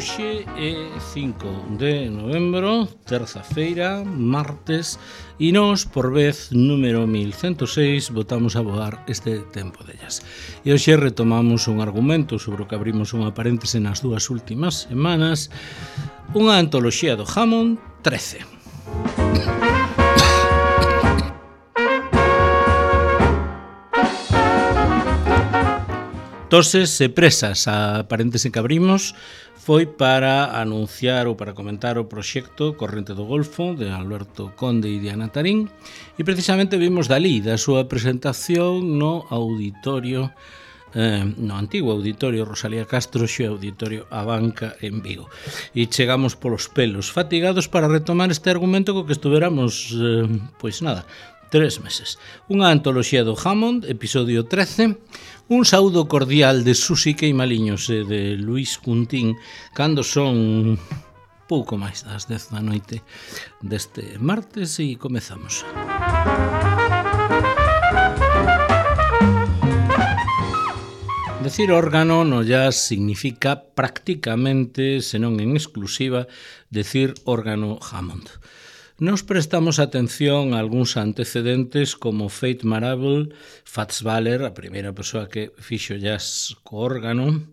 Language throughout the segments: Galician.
Hoxe é 5 de novembro, terza-feira, martes, e nós, por vez número 1106, botamos a voar este tempo dellas. E hoxe retomamos un argumento sobre o que abrimos unha paréntese nas dúas últimas semanas, unha antoloxía do Hammond 13. Toses e presas, a paréntese que abrimos foi para anunciar ou para comentar o proxecto Corrente do Golfo de Alberto Conde e Diana Tarín, e precisamente vimos dali da súa presentación no auditorio, no antigo auditorio Rosalía Castro, xe auditorio A Banca en Vigo. E chegamos polos pelos fatigados para retomar este argumento co que estuveramos, pois nada, 3 meses. Unha antoloxía do Hammond, episodio 13, un saúdo cordial de Susi Queimaliños e de Luís Cuntín cando son pouco máis das 10 da noite deste martes e comezamos. Decir órgano no jazz significa prácticamente, senón en exclusiva, decir órgano Hammond. Nos prestamos atención a algúns antecedentes como Faith Marable, Fats Waller, a primeira persoa que fixo jazz co órgano,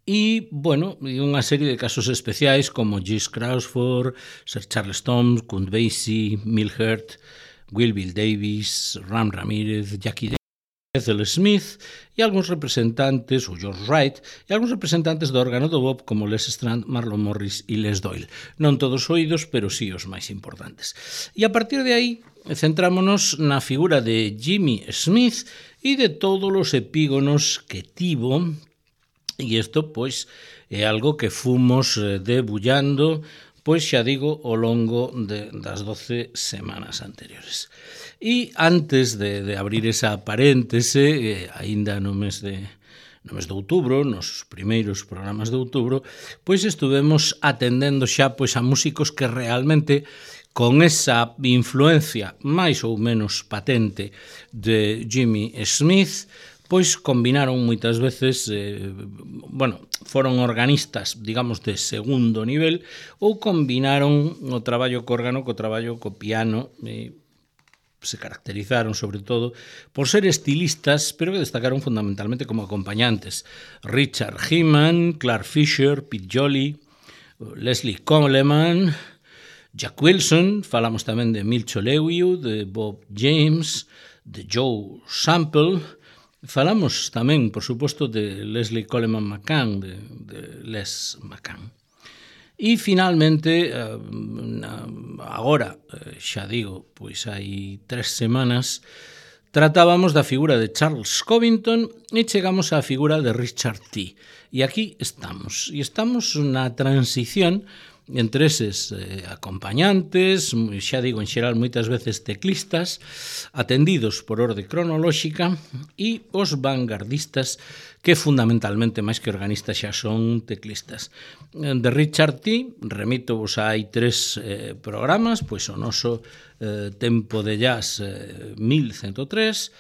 e, bueno, unha serie de casos especiais como Gis Crawford, Sir Charles Thoms, Count Basie, Milhart, Will Bill Davis, Ram Ramírez, Jackie Ethel Smith e algúns representantes, ou George Wright, e algúns representantes do órgano do bop como Les Strand, Marlon Morris e Les Doyle. Non todos oídos, pero sí os máis importantes. E a partir de aí, centrámonos na figura de Jimmy Smith e de todos os epígonos que tivo, e isto, pois, é algo que fomos debullando, pois xa digo, ao longo das 12 semanas anteriores. E antes de abrir esa paréntese, aínda no mes de outubro, nos primeiros programas de outubro, pois estuvemos atendendo xa pois a músicos que realmente con esa influencia máis ou menos patente de Jimmy Smith, pois combinaron moitas veces, foron organistas, digamos, de segundo nivel, ou combinaron o traballo co órgano co traballo co piano, se caracterizaron sobre todo por ser estilistas, pero que destacaron fundamentalmente como acompañantes. Richard Heman, Clark Fisher, Pete Jolly, Leslie Coleman, Jack Wilson, falamos tamén de Milcho Lewiu, de Bob James, de Joe Sample, falamos tamén, por suposto, de Leslie Coleman McCann, de Les McCann. E, finalmente, agora, xa digo, pois hai 3 semanas, tratábamos da figura de Charles Covington e chegamos á figura de Richard T. E aquí estamos. E estamos na transición entre eses acompañantes, xa digo, en xeral moitas veces teclistas, atendidos por orde cronolóxica, e os vanguardistas que fundamentalmente, máis que organistas, xa son teclistas. De Richard T, remito vos a hai 3 programas, pois o noso Tempo de Jazz 1103,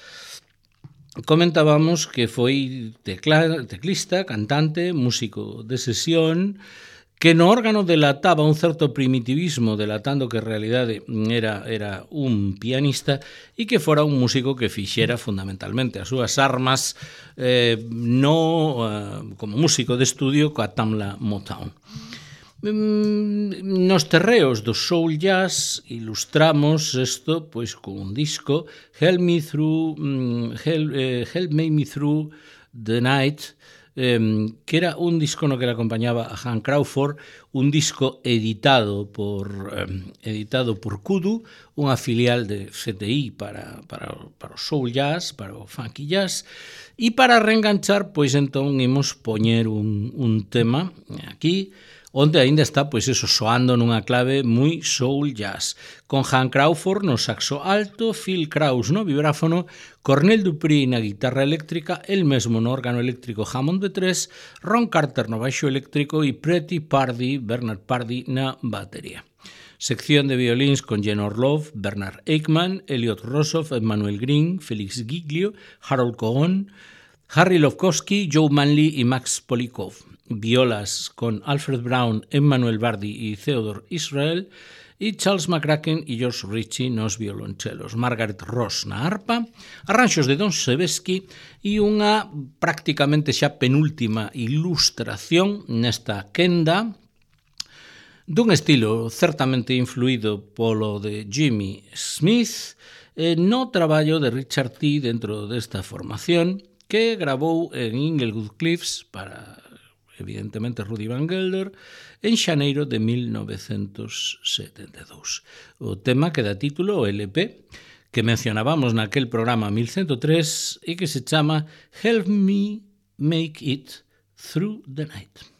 comentábamos que foi teclista, cantante, músico de sesión, que no órgano delataba un certo primitivismo, delatando que en realidade era un pianista e que fora un músico que fixera fundamentalmente as súas armas como músico de estudio coa Tamla Motown. Nos terreos do soul jazz ilustramos isto pois con un disco, Help Me Through the Night, que era un disco no que le acompañaba a Hank Crawford, un disco editado por Kudu, unha filial de CTI para o soul jazz, para o funky jazz, e para reenganchar, pois entón imos poñer un tema aquí, onde aínda está, pois eso, soando nunha clave moi soul jazz, con Hank Crawford no saxo alto, Phil Krause no vibráfono, Cornell Dupree na guitarra eléctrica, el mesmo no órgano eléctrico Hammond B3, Ron Carter no baixo eléctrico e Bernard Pardee na batería. Sección de violíns con Jen Orlov, Bernard Eichmann, Elliot Rossoff, Emmanuel Green, Félix Giglio, Harold Cohen, Harry Lofkowski, Joe Manley y Max Polikov. Violas con Alfred Brown, Emmanuel Bardi y Theodore Israel, e Charles McCracken e George Ritchie nos violonchelos, Margaret Ross na arpa, arranxos de Don Sebesky e unha prácticamente xa penúltima ilustración nesta quenda dun estilo certamente influído polo de Jimmy Smith no traballo de Richard T. dentro desta formación que gravou en Inglewood Cliffs para, evidentemente, Rudy Van Gelder en xaneiro de 1972. O tema que dá título ao LP que mencionábamos naquel programa 1103 e que se chama Help Me Make It Through the Night.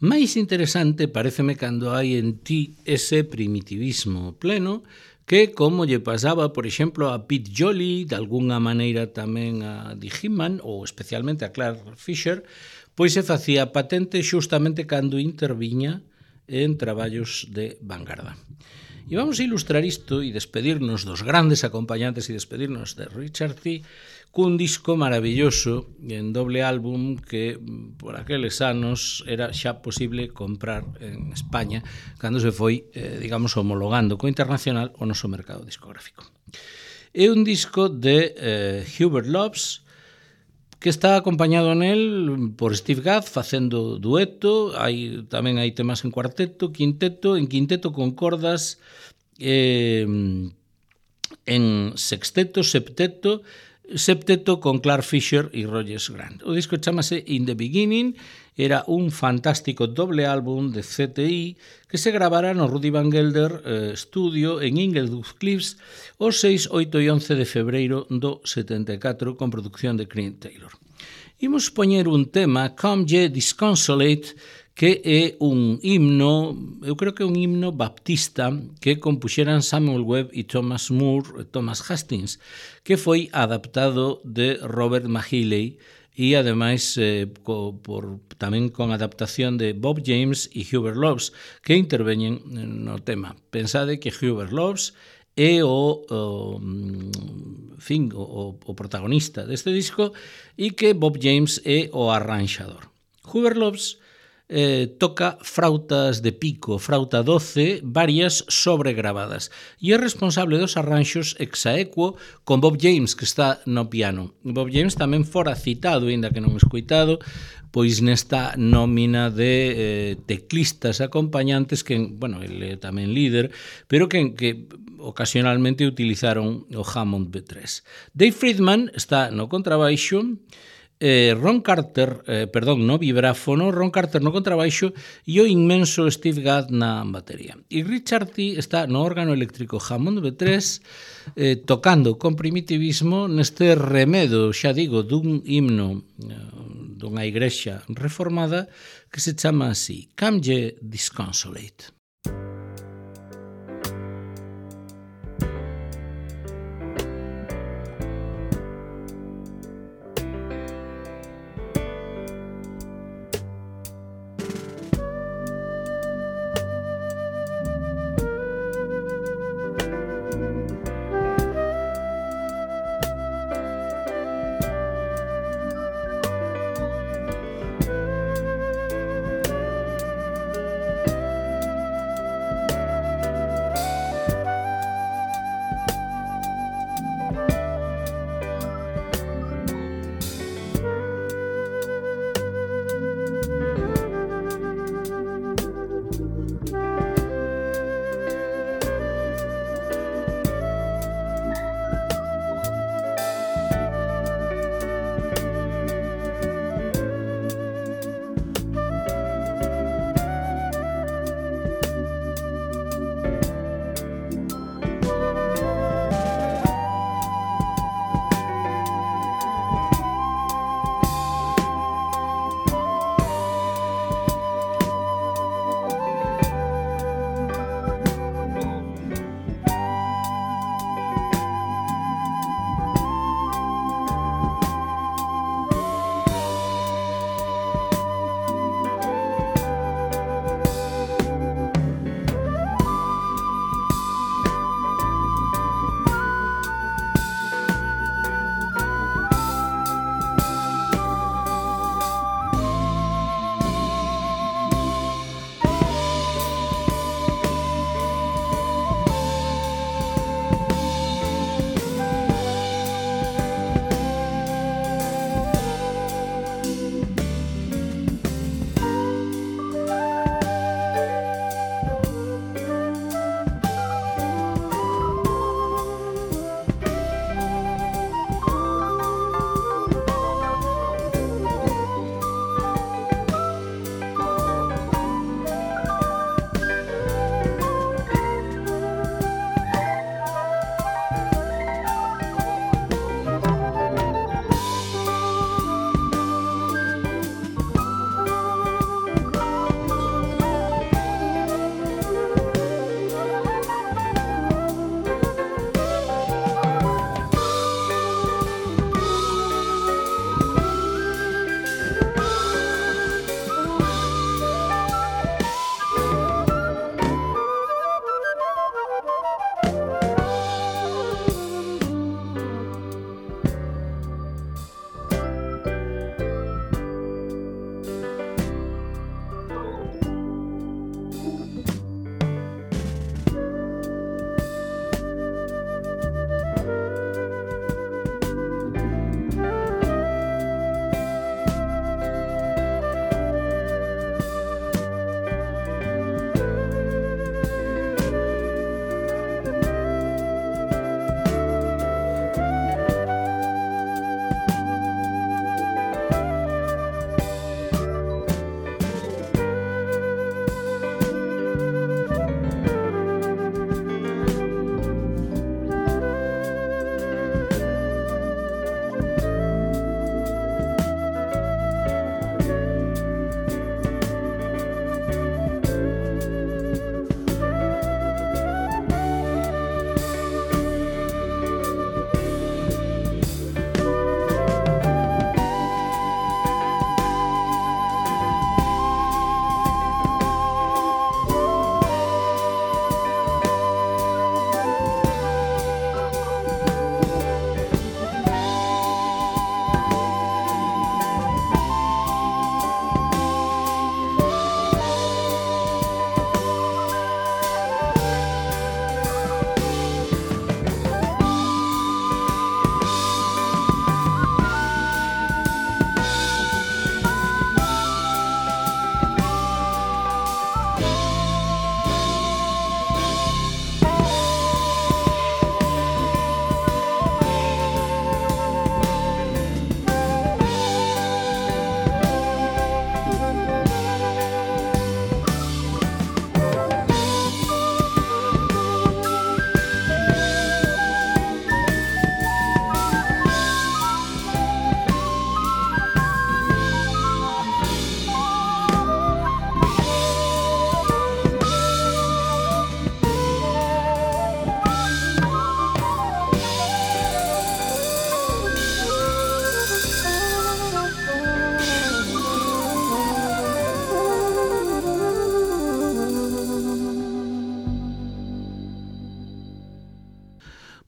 Máis interesante pareceme cando hai en ti ese primitivismo pleno que, como lle pasaba, por exemplo, a Pete Jolly, de alguna maneira tamén a Dee Hinman, ou especialmente a Clark Fisher, pois se facía patente xustamente cando interviña en traballos de vanguarda. E vamos a ilustrar isto e despedirnos dos grandes acompañantes e despedirnos de Richard T. cun disco maravilloso en doble álbum que por aqueles anos era xa posible comprar en España cando se foi, digamos, homologando co internacional o noso mercado discográfico. É un disco de Hubert Loves, que está acompañado nel por Steve Gadd facendo dueto, tamén hai temas en cuarteto, en quinteto con cordas, en sexteto, septeto con Clark Fisher e Rogers Grant. O disco chamase In the Beginning, era un fantástico doble álbum de CTI que se gravara no Rudy Van Gelder Studio en Inglewood Cliffs o 6, 8 e 11 de febreiro do 74 con producción de Cream Taylor. Imos poñer un tema, Come Ye Disconsolate, que é un himno, eu creo que é un himno baptista que compuxeran Samuel Webb e Thomas Hastings, que foi adaptado de Robert Mahiley e ademais tamén con adaptación de Bob James e Hubert Loves, que interveñen no tema. Pensade que Hubert Loves é o protagonista deste disco e que Bob James é o arranxador. Hubert Loves toca frautas de pico, frauta doce, varias sobregravadas, e é responsable dos arranxos ex aequo con Bob James, que está no piano. Bob James tamén fora citado, ainda que non escoitado, pois nesta nómina de teclistas acompañantes que, bueno, ele é tamén líder, pero que ocasionalmente utilizaron o Hammond B3. Dave Friedman está no contrabaixo, Ron Carter, no vibráfono, Ron Carter no contrabaixo e o inmenso Steve Gadd na batería. E Richard T. está no órgano eléctrico Hammond B3 tocando con primitivismo neste remedo, xa digo, dun himno dunha igrexa reformada que se chama así, Come Ye Disconsolate.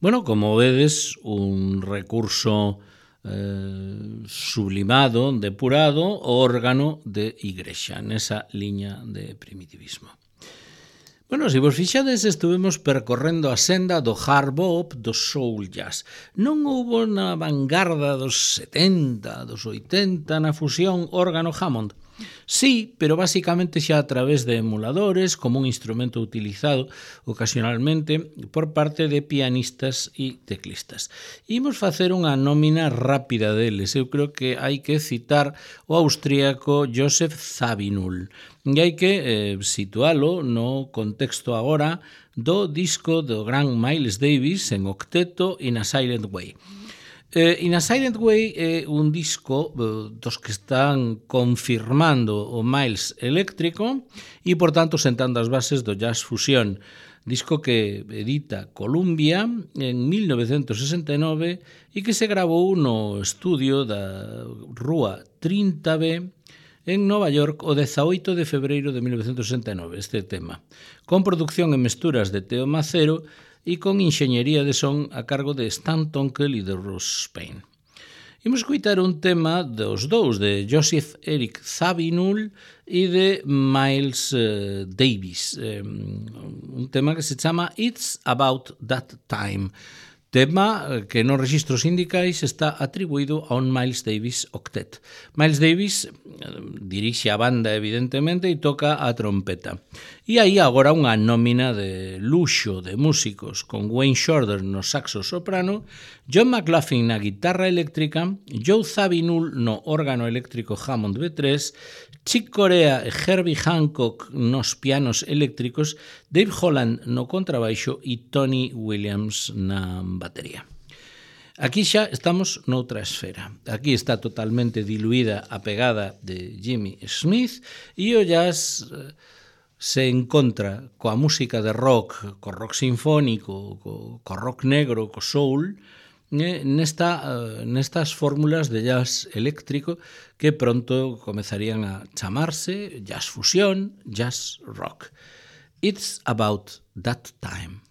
Bueno, como vedes, un recurso sublimado, depurado, órgano de igrexa, nesa liña de primitivismo. Bueno, se vos fixades, estuvemos percorrendo a senda do hard bop, do soul jazz. Non houbo na vanguarda dos 70, dos 80, na fusión órgano Hammond. Sí, pero basicamente xa a través de emuladores, como un instrumento utilizado ocasionalmente por parte de pianistas e teclistas. Imos facer unha nómina rápida deles. Eu creo que hai que citar o austríaco Joseph Zawinul. E hai que situalo no contexto agora do disco do gran Miles Davis en octeto In a Silent Way. In a Silent Way é un disco dos que están confirmando o Miles eléctrico e, por tanto, sentando as bases do jazz fusión. Disco que edita Columbia en 1969 e que se grabou no estudio da Rúa 30B en Nova York o 18 de febreiro de 1969, este tema, con producción en mesturas de Teo Macero e con enxeñería de son a cargo de Stan Tonkel e de Ross Payne. Imos escutar un tema dos dous, de Joseph Eric Zawinul e de Miles Davis, un tema que se chama It's About That Time, tema que nos registros sindicais está atribuído a un Miles Davis octet. Miles Davis dirixe a banda, evidentemente, e toca a trompeta. E aí agora unha nómina de luxo de músicos, con Wayne Shorter no saxo soprano, John McLaughlin na guitarra eléctrica, Joe Zawinul no órgano eléctrico Hammond B3, Chick Corea e Herbie Hancock nos pianos eléctricos, Dave Holland no contrabaixo e Tony Williams na batería. Aquí xa estamos noutra esfera. Aquí está totalmente diluída a pegada de Jimmy Smith e o jazz se encontra coa música de rock, co rock sinfónico, co rock negro, co soul, nestas fórmulas de jazz eléctrico que pronto comezarían a chamarse jazz fusión, jazz rock. It's About That Time.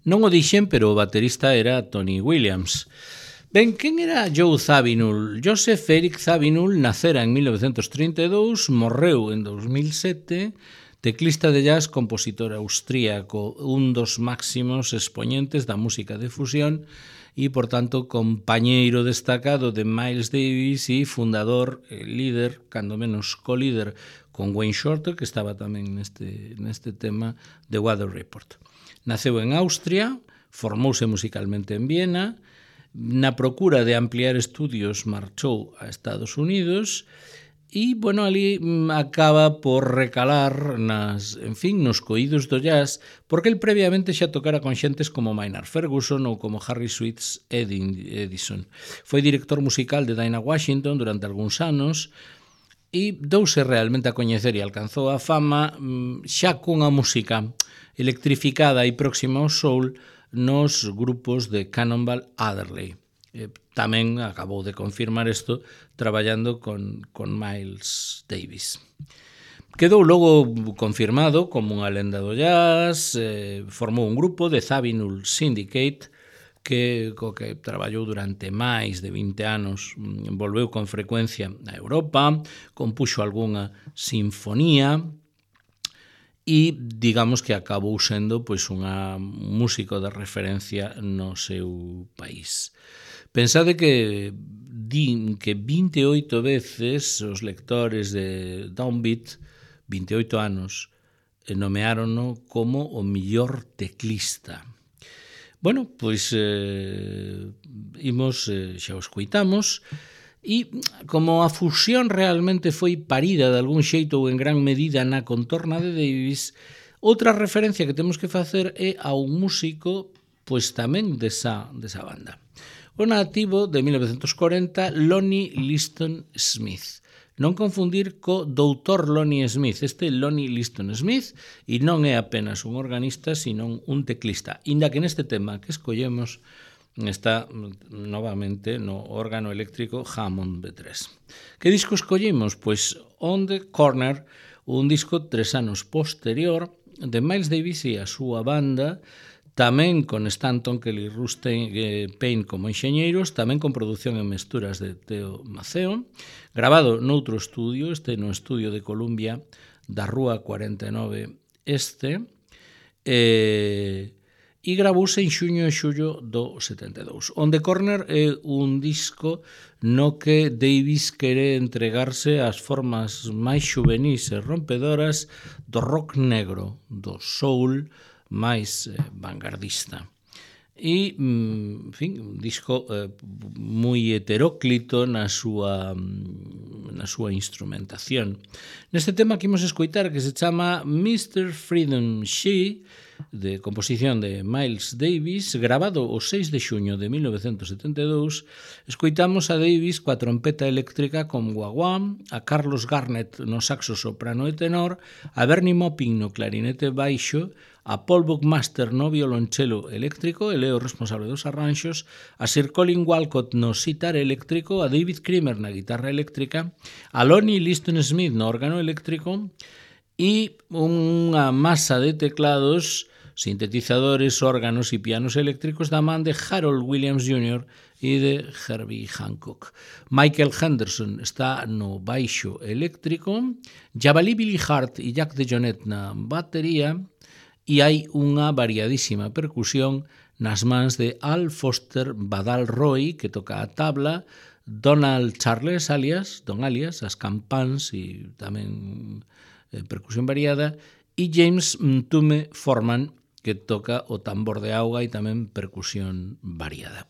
Non o dixen, pero o baterista era Tony Williams. Ben, quen era Joe Zawinul? Joseph Eric Zawinul nacera en 1932, morreu en 2007, teclista de jazz, compositor austríaco, un dos máximos expoñentes da música de fusión e, por tanto, compañeiro destacado de Miles Davis e fundador, líder, cando menos colíder, con Wayne Shorter, que estaba tamén neste tema de Weather Report. Naceu en Austria, formouse musicalmente en Viena, na procura de ampliar estudios marchou a Estados Unidos e, bueno, ali acaba por recalar nos coídos do jazz, porque el previamente xa tocara con xentes como Maynard Ferguson ou como Harry Sweets Edison. Foi director musical de Dinah Washington durante algúns anos e douse realmente a coñecer e alcanzou a fama xa cunha música electrificada e próxima ao soul nos grupos de Cannonball Adderley. Tamén acabou de confirmar isto traballando con Miles Davis. Quedou logo confirmado como unha lenda do jazz, formou un grupo de Zawinul Syndicate co que traballou durante máis de 20 anos, volveu con frecuencia a Europa, compuxo algunha sinfonía, e digamos que acabou sendo pois un músico de referencia no seu país. Pensade que din que 28 veces os lectores de Downbeat, 28 anos, nomeárono como o mellor teclista. Bueno, pois xa o escoitamos. E como a fusión realmente foi parida de algún xeito ou en gran medida na contorna de Davis, outra referencia que temos que facer é a un músico pois tamén desa banda. O nativo de 1940, Lonnie Liston Smith. Non confundir co doutor Lonnie Smith. Este Lonnie Liston Smith e non é apenas un organista, sino un teclista. Inda que neste tema que escollemos está novamente no órgano eléctrico Hammond B3. Que disco escollimos? Pois On the Corner, un disco 3 anos posterior de Miles Davis e a súa banda, tamén con Stanton, Kelly Rustain, Payne como enxeñeiros, tamén con produción e mesturas de Teo Maceo, grabado noutro estudio, no estudio de Columbia da Rúa 49 Este, e gravouse en xuño e xullo do 72. On the Corner é un disco no que Davis quere entregarse ás formas máis xuvenís e rompedoras do rock negro, do soul máis vanguardista. E, en fin, un disco moi heteróclito na súa instrumentación. Neste tema que imos escoitar, que se chama Mr. Freedom She, de composición de Miles Davis, grabado o 6 de xuño de 1972, escoitamos a Davis coa trompeta eléctrica con guaguá, a Carlos Garnett no saxo soprano e tenor, a Bernie Maupin no clarinete baixo, a Paul Buckmaster no violonchelo eléctrico, ele é o responsable dos arranxos, a Sir Colin Walcott no sitar eléctrico, a David Kramer na guitarra eléctrica, a Lonnie Liston Smith no órgano eléctrico e unha masa de teclados, sintetizadores, órganos e pianos eléctricos da man de Harold Williams Jr. e de Herbie Hancock. Michael Henderson está no baixo eléctrico, Jabali Billy Hart e Jack DeJohnette na batería, e hai unha variadísima percusión nas mans de Al Foster Badal Roy, que toca a tabla, Donald Charles Don Alias, as campáns e tamén percusión variada, e James Mtume Forman, que toca o tambor de auga e tamén percusión variada.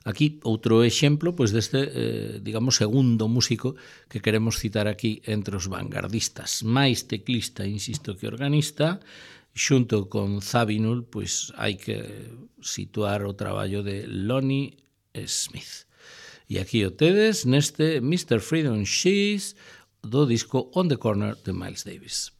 Aquí outro exemplo pois deste, digamos, segundo músico que queremos citar aquí entre os vanguardistas. Máis teclista, insisto, que organista, xunto con Zawinul, pois hai que situar o traballo de Lonnie Smith. E aquí o tedes neste Mr. Freedom She's do disco On the Corner de Miles Davis.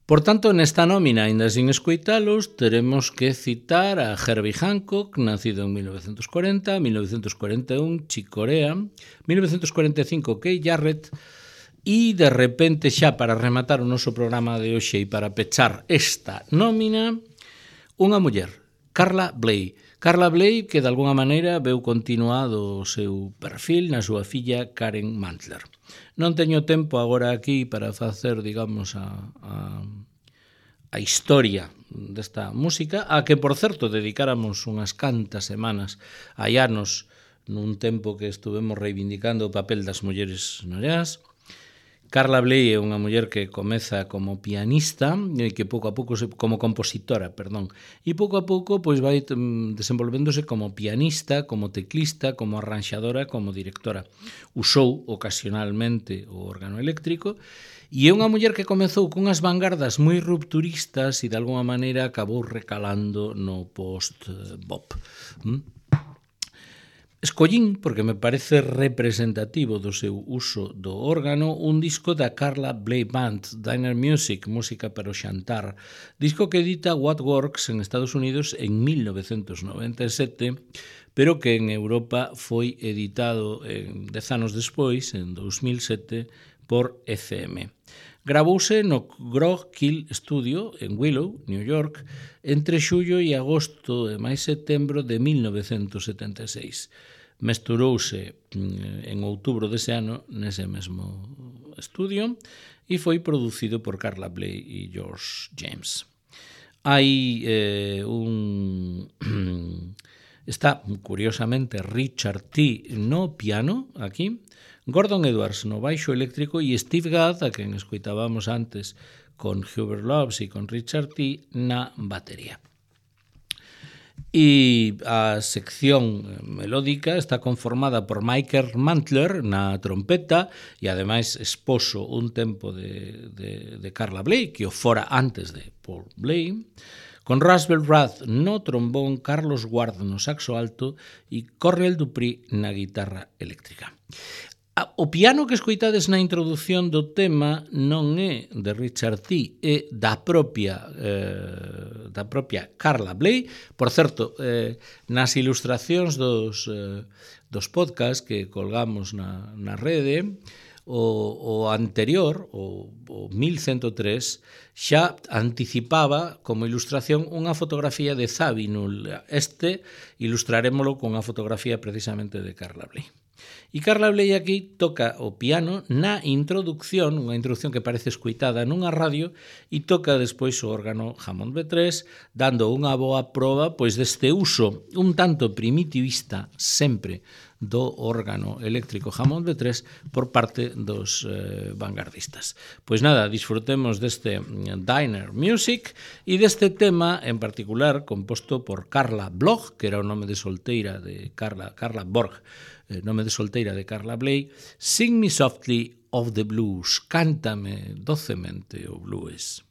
Por tanto, nesta nómina, ainda sin escoitalos, teremos que citar a Herbie Hancock, nacido en 1940, 1941, Chick Corea, 1945, Keith Jarrett, e, de repente, xa para rematar o noso programa de hoxe e para pechar esta nómina, unha muller, Carla Bley. Carla Bley, que de alguna maneira veu continuado o seu perfil na súa filla Karen Mantler. Non teño tempo agora aquí para facer, digamos, a historia desta música, a que, por certo, dedicáramos unhas cantas semanas hai anos nun tempo que estuvemos reivindicando o papel das mulleres no jazz. Carla Bley é unha muller que comeza como pianista e que pouco a pouco como compositora, perdón, e pouco a pouco pois vai desenvolvéndose como pianista, como teclista, como arranxadora, como directora. Usou ocasionalmente o órgano eléctrico e é unha muller que comezou cunhas vanguardas moi rupturistas e de alguma maneira acabou recalando no post-bop. Escollín, porque me parece representativo do seu uso do órgano, un disco da Carla Bley Band, Diner Music, música para o xantar, disco que edita What Works en Estados Unidos en 1997, pero que en Europa foi editado 10 anos despois, en 2007, por ECM. Gravouse no Grog Kill Studio en Willow, New York, entre xullo e agosto e máis setembro de 1976. Mesturouse en outubro dese ano nese mesmo estudio e foi producido por Carla Bley e George James. Hai está, curiosamente, Richard T. no piano, aquí, Gordon Edwards no baixo eléctrico e Steve Gadd, a quen escoitábamos antes con Hubert Loves e con Richard T. na batería. E a sección melódica está conformada por Michael Mantler na trompeta e ademais esposo un tempo de Carla Bley, que o fora antes de Paul Bley, con Russell Rudd no trombón, Carlos Ward no saxo alto e Cornel Dupree na guitarra eléctrica. O piano que escoitades na introdución do tema non é de Richard T., é da propia Carla Bley. Por certo, nas ilustracións dos podcasts que colgamos na rede, o anterior, o 1103, xa anticipaba como ilustración unha fotografía de Zabinul. Este ilustrarémolo con unha fotografía precisamente de Carla Bley. E Carla Bley aquí toca o piano na introducción, unha introducción que parece escoitada nunha radio, e toca despois o órgano Hammond B3, dando unha boa proba pois deste uso un tanto primitivista sempre do órgano eléctrico Hammond B3 por parte dos vanguardistas. Pois nada, disfrutemos deste Diner Music e deste tema en particular composto por Carla Bloch, que era o nome de solteira de Carla Borg, nome de solteira de Carla Bley, Sing Me Softly of the Blues, cántame docemente o blues.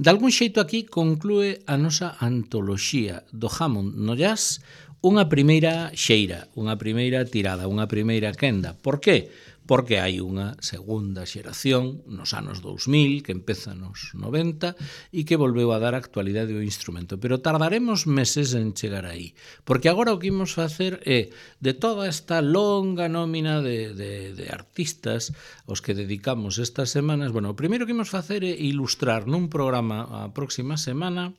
De algún xeito aquí conclúe a nosa antoloxía do Hammond no jazz, unha primeira xeira, unha primeira tirada, unha primeira quenda. Por que? Porque hai unha segunda xeración nos anos 2000 que empeza nos 90 e que volveu a dar actualidade ao instrumento. Pero tardaremos meses en chegar aí. Porque agora o que imos facer é, de toda esta longa nómina de artistas aos que dedicamos estas semanas, bueno, o primeiro que imos facer é ilustrar nun programa a próxima semana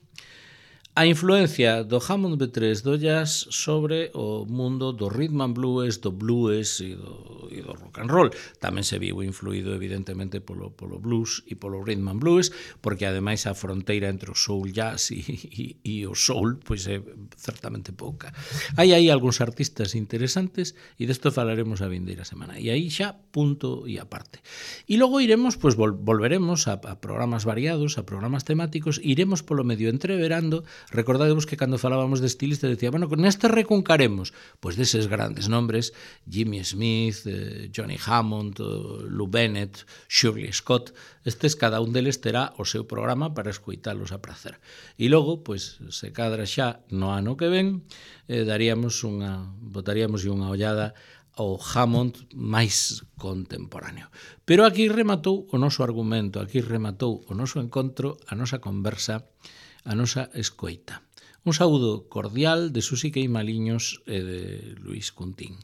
a influencia do Hammond B3 do jazz sobre o mundo do rhythm and blues, do blues e do rock and roll. Tamén se viu influído evidentemente polo blues e polo rhythm and blues, porque ademais a fronteira entre o soul jazz e o soul pois é certamente pouca. Hai aí algúns artistas interesantes e desto falaremos a vindeira semana. E aí xa punto e aparte. E logo iremos, pois volveremos a programas variados, a programas temáticos, iremos polo medio entreverando. Recordadevos que cando falábamos de estilistas decía, bueno, neste recuncaremos pois deses grandes nombres, Jimmy Smith, Johnny Hammond, Lou Bennett, Shirley Scott. Estes, cada un deles terá o seu programa para escoitalos a prazer. E logo, pois, se cadra xa no ano que ven, botaríamos unha ollada ao Hammond máis contemporáneo. Pero aquí rematou o noso argumento, aquí rematou o noso encontro, a nosa conversa, a nosa escoita. Un saúdo cordial de Susi Queimaliños e de Luis Cuntín.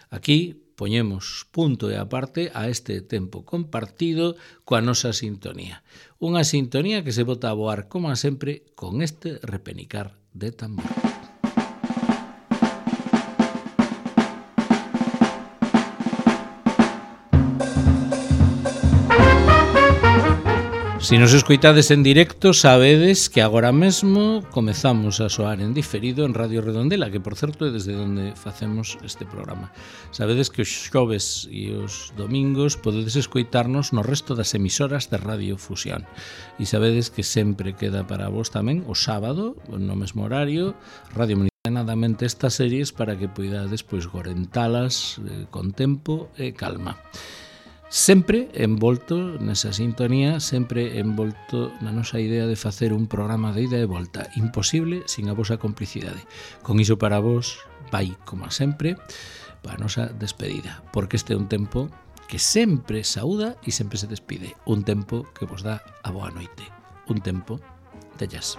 Aquí poñemos punto e aparte a este tempo compartido coa nosa sintonía. Unha sintonía que se bota a voar, como sempre, con este repenicar de tambor. Se nos escoitades en directo, sabedes que agora mesmo comezamos a soar en diferido en Radio Redondela, que por certo é desde onde facemos este programa. Sabedes que os xoves e os domingos podedes escoitarnos no resto das emisoras de Radio Fusión. E sabedes que sempre queda para vos tamén o sábado, no mesmo horario, Radio Municionadamente estas series para que poidades pois gorentalas con tempo e calma. Sempre envolto nesa sintonía, sempre envolto na nosa idea de facer un programa de ida e volta, imposible sin a vosa complicidade. Con iso para vos vai, como sempre, para a nosa despedida, porque este é un tempo que sempre saúda e sempre se despide, un tempo que vos dá a boa noite, un tempo de jazz.